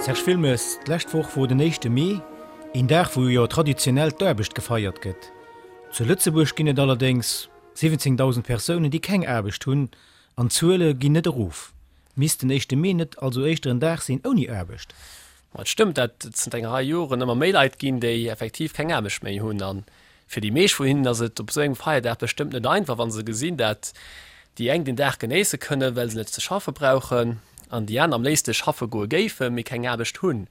Serge Wilmes, D'lescht Woch wor den éischte Mee, een Dag wou jo traditionell d'Aarbecht gefeiert gëtt. Zu Lëtzebuerg ginn et allerdéngs 17.000 Persounen déi keng Aarbecht hunn, an d'Zuele ginn net erof. Misst den éischte Mee net also éischter en Dag sinn ouni Aarbecht? Ma et stëmmt, dat et zënter enger Rei Joren ëmmer méi Leit ginn, déi effektiv keng Aarbecht méi hunn. A fir déi meescht vun hinnen ass et op esou engem Feierdag bestëmmt net einfach, wa se gesinn, dat déi eng den Dag genéisse kënnen, well se net ze schaffe brauchen, an déi aner am léifste schaffe goe géifen, mee keng Aarbecht hunn.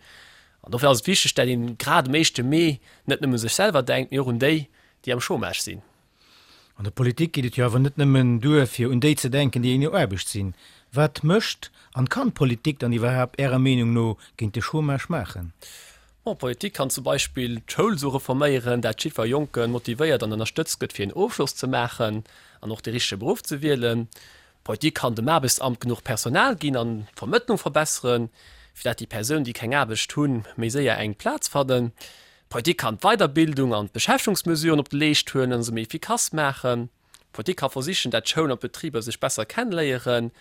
An dofir ass et wichteg, dat een grad um éischte Mee net nëmme u sech selwer denkt, mee och un déi, déi am Chômage sinn. An der Politik geet et jo awer net nëmmen duer, fir un déi ze denken, déi ouni Aarbecht sinn. Wat mécht an kann d'Politik dann iwwerhaapt Ärer Meenung no géint de Chômage maachen? Bon, d'Politik kann zum Beispill d'Schoul esou reforméieren, dat jiddwer Jonke motivéiert an ënnerstëtzt gëtt, fir een Ofschloss ze maachen an och de richtege Beruff ze wielen. D'Politik kann dem Aarbechtsamt genuch Personal ginn an d'Vermëttlung verbesseren, fir dat déi Persounen, déi keng Aarbecht hunn, méi séier eng Plaz fannen. D'Politik kann d'Weiderbildung an d'Beschäftegungsmesuren op de Leescht huelen an se méi efficace maachen. D'Politik ka versichen, dat d'Schoul an d'Betriber sech besser kenneléieren.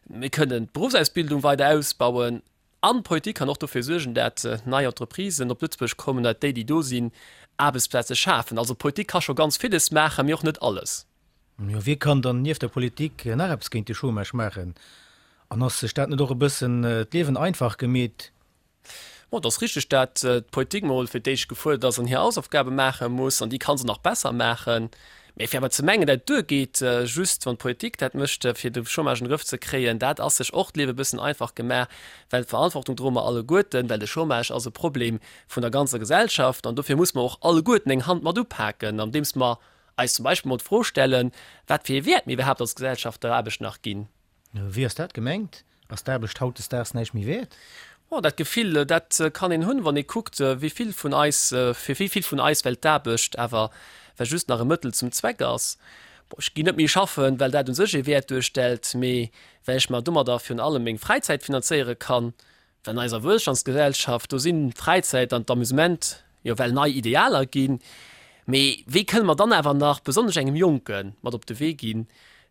Mir kënnen d'Beruffsausbildung weider ausbauen. An d'Politik kann och dofir suergen, dat nei Entreprisen op Lëtzebuerg kommen, dat déi, déi do sinn, Aarbechtsplaze schafen. Also d'Politik ka scho ganz villes maachen, mee och net alles. Jo, wie kann dann nieft der Politik nach eppes géint de Chômage maachen? An ass sech dat net och e bëssen d'Liewen einfach gemeet? Bon, et ass richteg, dat d'Politik mol fir d'éischt gefuerdert ass an hir Hausaufgabe maache muss, an déi ka se nach besser maachen. Mee fir awer ze mengen, dat et duergeet, just wann d'Politik dat mécht, fir de Chômage an de Grëff ze kréien, dat ass sech och d'Liewe e bëssen einfach gemaach, well d'Verantwortung droe mer alleguerten, well de Chômage ass e Problem vun der ganzer Gesellschaft an dofir muss mer och alleguerten eng Hand mat upaken, andeems mer eis zum Beispill mol d'Fro stellen, wat fir ee Wäert mir iwwerhaapt als Gesellschaft der Aarbecht nach ginn. Wéi ass dat gemengt? Ass d'Aarbecht hautdesdaags näischt méi wäert? Oh, dat Gefill, dat kann een hunn, wann ee kuckt, wéi vill vun eis, fir wéi vill vun eis well d'Aarbecht awer well just nach e Mëttel zum Zweck ass. Bon, ech ginn net méi schaffen, well dat u sech ee Wäert duerstellt, mee well ech mer domadder virun allem meng Fräizäit finanzéiere kann. Well an eiser Wuelstandsgesellschaft, do sinn d'Fräizäit an d'Amusement jo well nei Idealer ginn. Mee wéi kënne mer dann awer nach, besonnesch engem Jonke mat op de Wee ginn,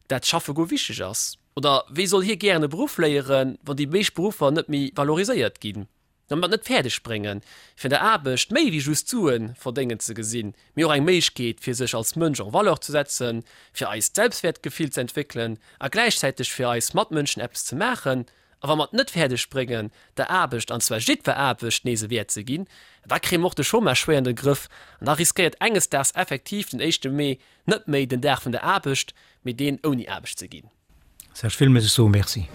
dat schaffe goe wichteg ass? Oder wéi soll hie gären e Beruff léieren, wann déi meescht Beruffer net méi valoriséiert ginn? Wa mer et net fäerdeg bréngen, fir an der Aarbecht méi wéi just Sue verdéngen ze gesinn, mee och eng Méiglechkeet fir sech als Mënsch en valeur ze setzen, fir eist Selbstwäertgefill ze entwéckelen a gläichzäiteg fir eis Matmënschen eppes ze maachen, A wa mer et net fäerdeg bréngen, der Aarbecht, an zwar jiddwer Aarbecht, nees e Wäert ze ginn, da kréie mer och de Chômage schwéier an de Grëff an da riskéiert enges Daags effektiv den éischte Mee net méi den Dag vun der Aarbecht, mee deen ouni Aarbecht ze ginn. Serge Wilmes, ech soe Merci.